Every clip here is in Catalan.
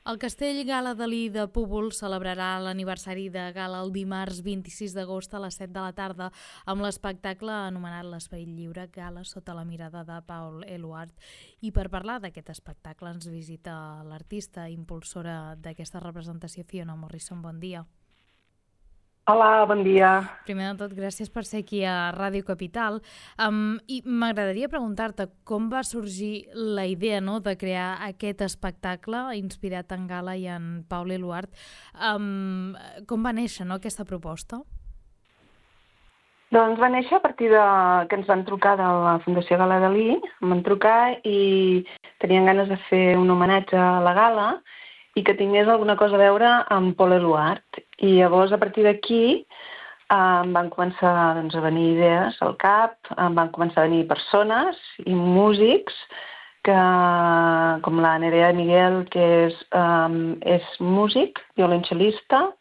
El Castell Gala Dalí de Púbol celebrarà l'aniversari de Gala el dimarts 26 d'agost a les 7 de la tarda amb l'espectacle anomenat L'Esperit Lliure, Gala sota la mirada de Paul Eluard. I per parlar d'aquest espectacle ens visita l'artista impulsora d'aquesta representació, Fiona Morrison. Bon dia. Hola, bon dia. Primer de tot, gràcies per ser aquí a Ràdio Capital. I m'agradaria preguntar-te com va sorgir la idea de crear aquest espectacle inspirat en Gala i en Paul Eluard. Com va néixer aquesta proposta? Doncs va néixer a partir que ens van trucar de la Fundació Gala Dalí, em van trucar i tenien ganes de fer un homenatge a la Gala i que tingués alguna cosa a veure amb Paul Eluard. I llavors, a partir d'aquí, em van començar a venir idees al cap, em van començar a venir persones i músics, com la Nerea Miguel, que és músic, violoncel·lista,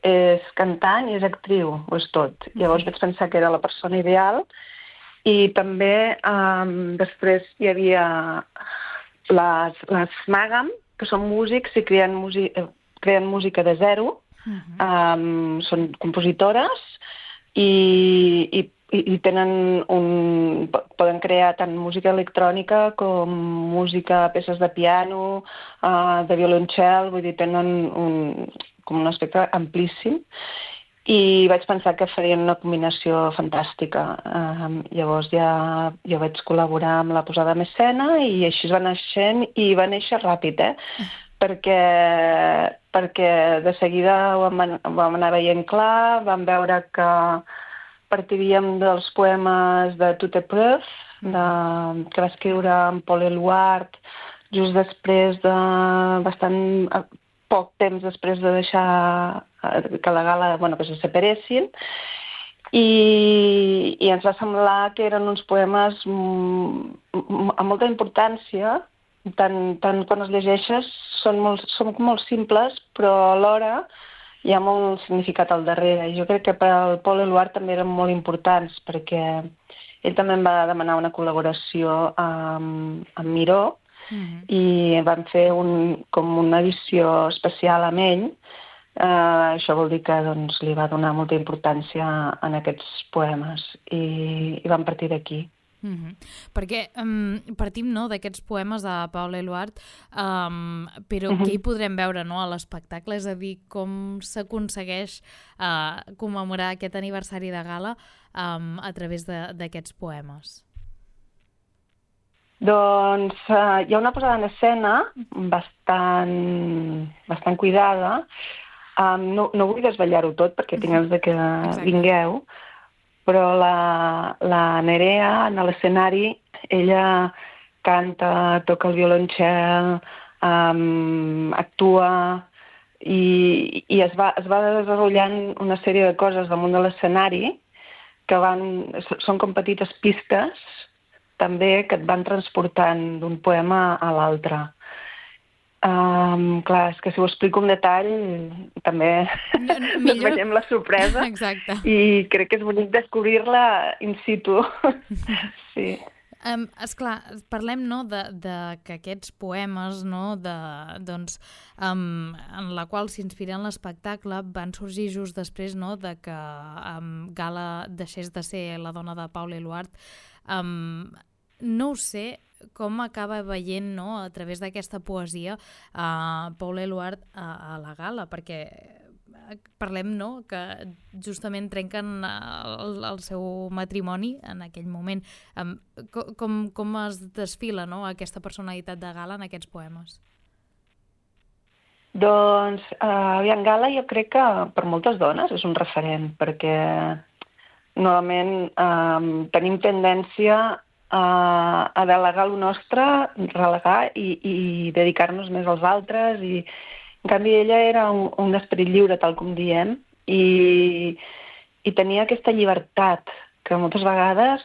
és cantant i és actriu, ho és tot. Llavors vaig pensar que era la persona ideal i també després hi havia les Màgam, que són músics i creen música de zero, són compositores i poden crear tant música electrònica com música, peces de piano, de violoncel, vull dir, tenen com un aspecte amplíssim. I vaig pensar que farien una combinació fantàstica. Llavors ja jo vaig col·laborar amb la posada en escena i així es va naixent i va néixer ràpid, perquè de seguida ho vam anar veient clar, vam veure que partiríem dels poemes de Toute épreuve, que va escriure en Paul Eluard just després bastant poc temps després de deixar que la Gala, que se separessin, i ens va semblar que eren uns poemes amb molta importància, tant quan els llegeixes són molt simples, però alhora hi ha molt significat al darrere. I jo crec que per al Paul Eluard també eren molt importants, perquè ell també em va demanar una col·laboració amb Miró, i vam fer com una edició especial amb ell. Això vol dir que li va donar molta importància en aquests poemes i vam partir d'aquí. Perquè partim d'aquests poemes de Paul Eluard, però què hi podrem veure a l'espectacle? És a dir, com s'aconsegueix commemorar aquest aniversari de Gala a través d'aquests poemes? Doncs hi ha una posada en escena bastant cuidada. No vull desvetllar-ho tot perquè tinc ganes de que vingueu, però la Nerea en l'escenari, ella canta, toca el violoncel, actua i es va desenvolupant una sèrie de coses damunt de l'escenari que són com petites pistes també que et van transportant d'un poema a l'altre. Clar, és que si ho explico en detall també veiem la sorpresa. Exacte. I crec que és bonic descobrir-la in situ. Sí. Esclar, parlem de que aquests poemes en la qual s'inspira en l'espectacle van sorgir just després de que Gala deixés de ser la dona de Paul Eluard. No ho sé com acaba veient a través d'aquesta poesia Paul Eluard a la Gala, perquè parlem que justament trenquen el seu matrimoni en aquell moment. Com es desfila aquesta personalitat de Gala en aquests poemes? Doncs Gala jo crec que per moltes dones és un referent, perquè normalment tenim tendència a delegar el nostre, relegar i dedicar-nos més als altres. I en canvi ella era un esperit lliure, tal com diem, i tenia aquesta llibertat que moltes vegades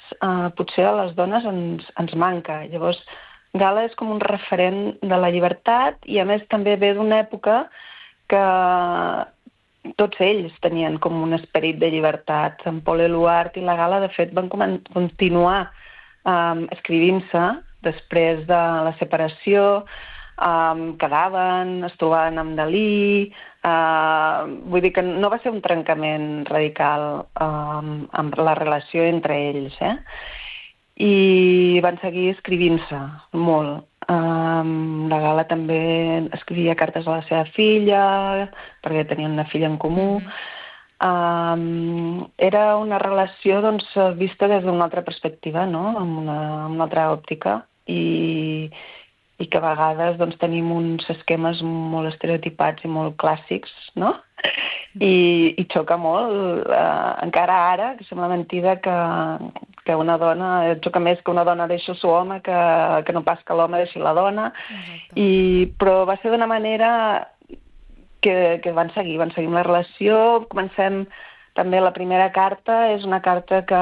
potser a les dones ens manca. Llavors Gala és com un referent de la llibertat i a més també ve d'una època que tots ells tenien com un esperit de llibertat. En Paul Eluard i la Gala, de fet, van continuar escrivint-se després de la separació. quedaven, es trobaven amb Dalí, vull dir que no va ser un trencament radical amb la relació entre ells, I van seguir escrivint-se molt. La Gala també escrivia cartes a la seva filla, perquè tenien una filla en comú. Era una relació doncs, vista des d'una altra perspectiva, no? Amb una altra òptica, i que a vegades doncs, tenim uns esquemes molt estereotipats i molt clàssics, no? I xoca molt, encara ara, que sembla mentida que una dona, xoca més que una dona deixi el seu home que no pas que l'home deixi la dona, però va ser d'una manera que van seguir amb la relació. Comencem també la primera carta, és una carta que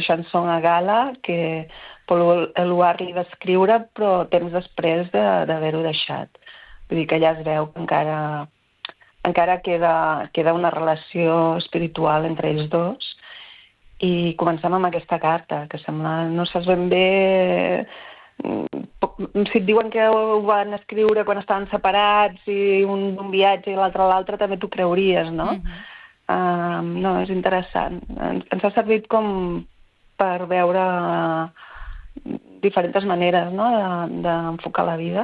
Chanson a Gala, que Paul Éluard li va escriure, però temps després d'haver-ho deixat. Vull dir que ja es veu que encara queda una relació espiritual entre ells dos, i comencem amb aquesta carta, que sembla, no saps ben bé, si et diuen que ho van escriure quan estaven separats i un viatge i l'altre a l'altre, també t'ho creuries, no? No, és interessant. Ens ha servit com per veure diferents maneres, no?, d'enfocar la vida.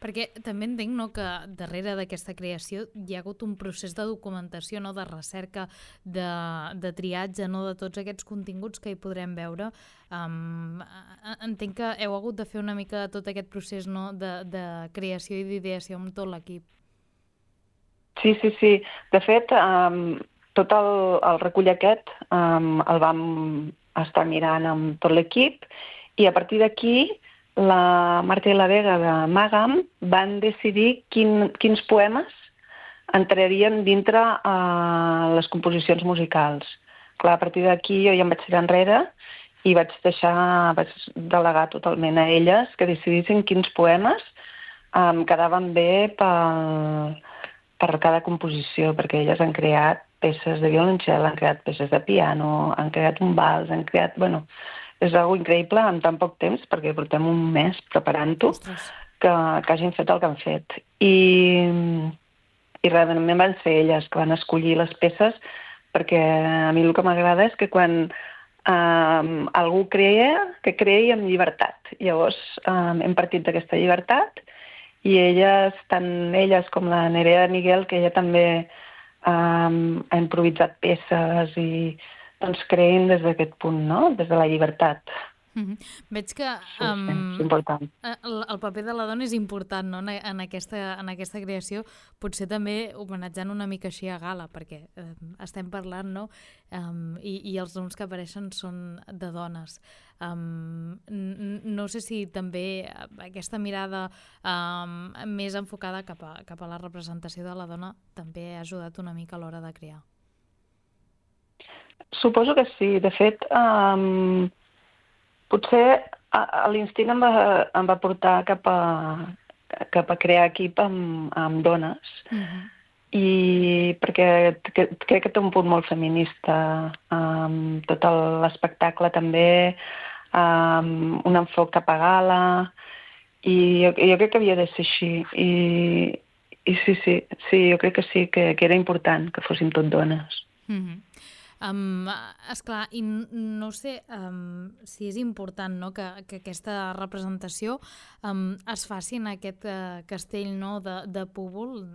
Perquè també entenc, no?, que darrere d'aquesta creació hi ha hagut un procés de documentació, no?, de recerca, de triatge, no?, de tots aquests continguts que hi podrem veure. Entenc que heu hagut de fer una mica tot aquest procés, no?, de creació i d'ideació amb tot l'equip. Sí. De fet, tot el recull aquest el vam estar mirant amb tot l'equip, i a partir d'aquí la Marta i la Vega de Màgam van decidir quins poemes entrarien dintre les composicions musicals. Clar, a partir d'aquí jo ja em vaig tirar enrere i vaig delegar totalment a elles que decidissin quins poemes quedaven bé per cada composició, perquè elles han creat peces de violoncel, han creat peces de piano, han creat un vals, han creat... Bueno, és algo increïble en tan poc temps, perquè portem un mes preparant-ho, que hagin fet el que han fet. I realment van ser elles que van escollir les peces, perquè a mi el que m'agrada és que quan algú que creï amb llibertat. Llavors hem partit d'aquesta llibertat, i elles, tant elles com la Nerea de Miguel, que ella també ha improvisat peces i doncs creïn des d'aquest punt, no?, des de la llibertat. Veig que és important. El paper de la dona és important, no?, en aquesta creació, potser també homenatjant una mica així a Gala, perquè estem parlant, no?, i els noms que apareixen són de dones. No sé si també aquesta mirada més enfocada cap a la representació de la dona també ha ajudat una mica a l'hora de crear. Suposo que sí. De fet, potser l'instint em va portar cap a crear equip amb dones, i perquè crec que té un punt molt feminista, tot l'espectacle també, un enfoc cap a Gala, i jo crec que havia de ser així. I sí, jo crec que sí, que era important que fóssim tot dones. Esclar, i no sé si és important, no?, que aquesta representació es faci en aquest castell, no?, de Púbol.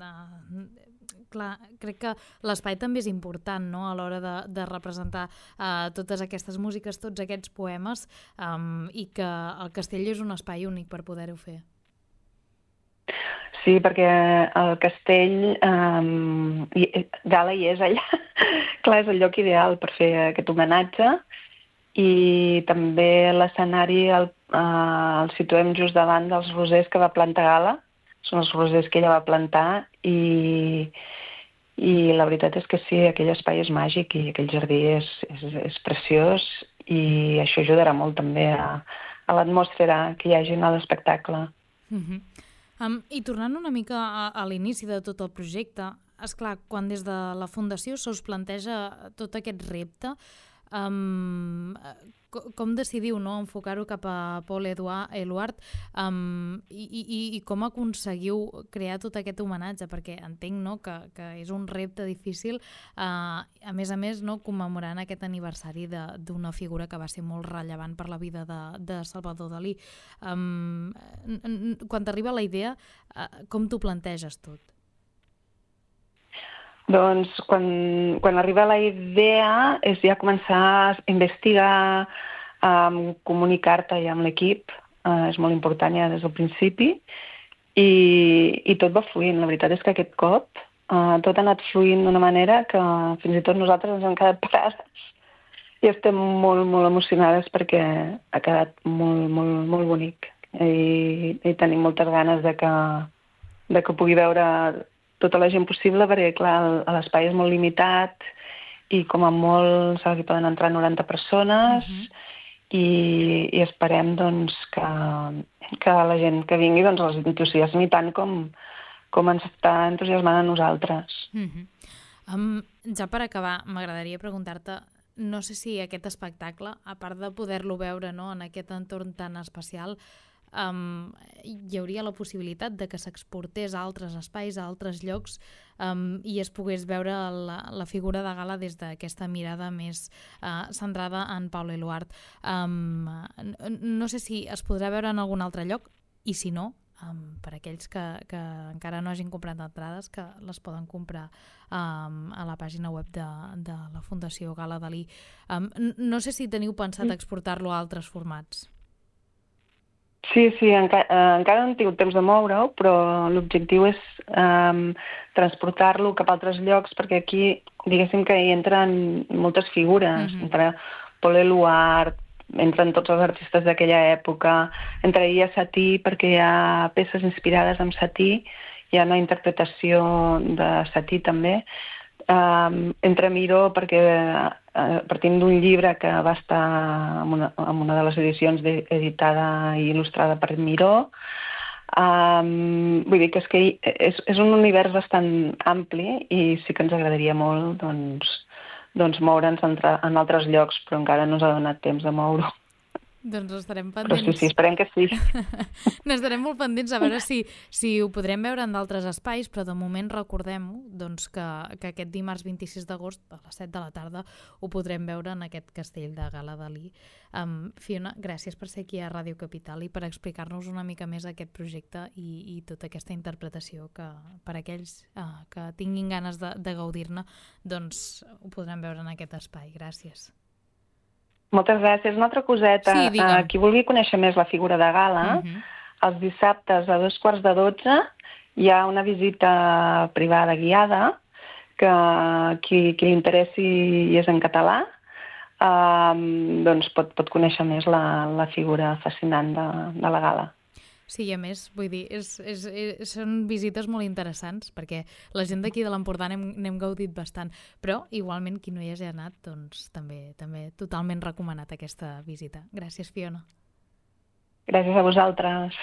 Clar, crec que l'espai també és important, no?, a l'hora de representar totes aquestes músiques, tots aquests poemes, i que el castell és un espai únic per poder-ho fer. Sí, perquè el castell, Gala hi és allà, clar, és el lloc ideal per fer aquest homenatge, i també l'escenari el situem just davant dels rosers que va plantar Gala, són els rosers que ella va plantar, i la veritat és que sí, aquell espai és màgic i aquell jardí és preciós, i això ajudarà molt també a l'atmosfera que hi hagi a l'espectacle. I tornant una mica a l'inici de tot el projecte, esclar, quan des de la Fundació se us planteja tot aquest repte, com decidiu, no?, enfocar-ho cap a Paul Eluard i com aconseguiu crear tot aquest homenatge, perquè entenc, no?, que és un repte difícil, a més, no?, commemorant aquest aniversari d'una figura que va ser molt rellevant per la vida de Salvador Dalí. Quan t'arriba la idea, com t'ho planteges tot? Doncs quan arriba la idea és ja començar a investigar, comunicar-te ja amb l'equip, és molt important ja des del principi, i tot va fluint. La veritat és que aquest cop tot ha anat fluint d'una manera que fins i tot nosaltres ens hem quedat parades i estem molt, molt emocionades perquè ha quedat molt, molt, molt bonic i tenim moltes ganes de que pugui veure tota la gent possible, perquè, clar, l'espai és molt limitat i com a molt hi poden entrar 90 persones i esperem doncs, que la gent que vingui doncs, els entusiasmi tant com ens està entusiasmant a nosaltres. Ja per acabar, m'agradaria preguntar-te, no sé si aquest espectacle, a part de poder-lo veure, no?, en aquest entorn tan especial, hi hauria la possibilitat de que s'exportés a altres espais, a altres llocs, i es pogués veure la figura de Gala des d'aquesta mirada més centrada en Paul Eluard. No sé si es podrà veure en algun altre lloc, i si no, per aquells que encara no hagin comprat entrades, que les poden comprar a la pàgina web de la Fundació Gala Dalí. No sé si teniu pensat exportar-lo a altres formats. Sí, encara no hem tingut temps de moure-ho, però l'objectiu és transportar-lo cap a altres llocs, perquè aquí, diguéssim que hi entren moltes figures. Entra Paul Eluard, entren tots els artistes d'aquella època, entraria Satie perquè hi ha peces inspirades en Satie, hi ha una interpretació de Satie també, entra Miró perquè partint d'un llibre que va estar en una de les edicions editada i il·lustrada per Miró. Vull dir que és un univers bastant ampli i sí que ens agradaria molt doncs moure'ns en altres llocs, però encara no ens ha donat temps de moure-ho. Doncs estarem pendents. Però sí, esperem que sí. N'estarem molt pendents a veure si ho podrem veure en d'altres espais, però de moment recordem-ho, doncs que aquest dimarts 26 d'agost a les 7 de la tarda ho podrem veure en aquest castell de Gala Dalí. Fiona, gràcies per ser aquí a Ràdio Capital i per explicar-nos una mica més aquest projecte i tota aquesta interpretació que per aquells que tinguin ganes de gaudir-ne, doncs ho podran veure en aquest espai. Gràcies. Moltes gràcies. Una altra coseta. Sí, qui vulgui conèixer més la figura de Gala, els dissabtes a 2:45 hi ha una visita privada guiada que qui li interessi i és en català doncs pot conèixer més la figura fascinant de la Gala. Sí, i a més, vull dir, són visites molt interessants, perquè la gent d'aquí de l'Empordà n'hem gaudit bastant, però igualment qui no hi hagi anat, doncs també totalment recomanat aquesta visita. Gràcies, Fiona. Gràcies a vosaltres.